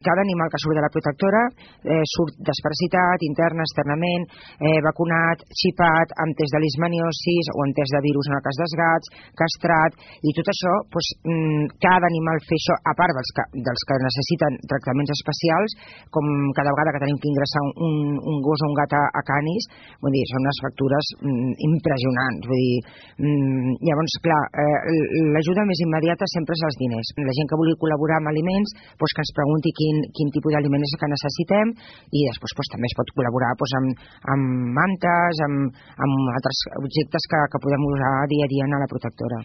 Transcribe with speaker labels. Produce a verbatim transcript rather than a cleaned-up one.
Speaker 1: Cada animal que surt de la protectora eh, surt desparasitat, interna, externament, eh, vacunat, xipat, amb test de leishmaniosis o amb test de virus en el cas dels gats, castrat, i tot això, doncs, cada animal fer això, a part dels que, dels que necessiten tractaments especials, com cada vegada que tenim que ingressar un, un gos o un gat a, a Canis, vull dir, són unes factures mm, impressionants. Vull dir, mm, llavors, clar, eh, l'ajuda més immediata sempre és els diners. La gent que vulgui col·laborar amb aliments, doncs que ens pregunti quin, quin tipus d'aliment és que necessitem, i després doncs, també es pot col·laborar doncs, amb, amb mantes, amb, amb altres objectes que, que podem usar dia a dia a la protectora.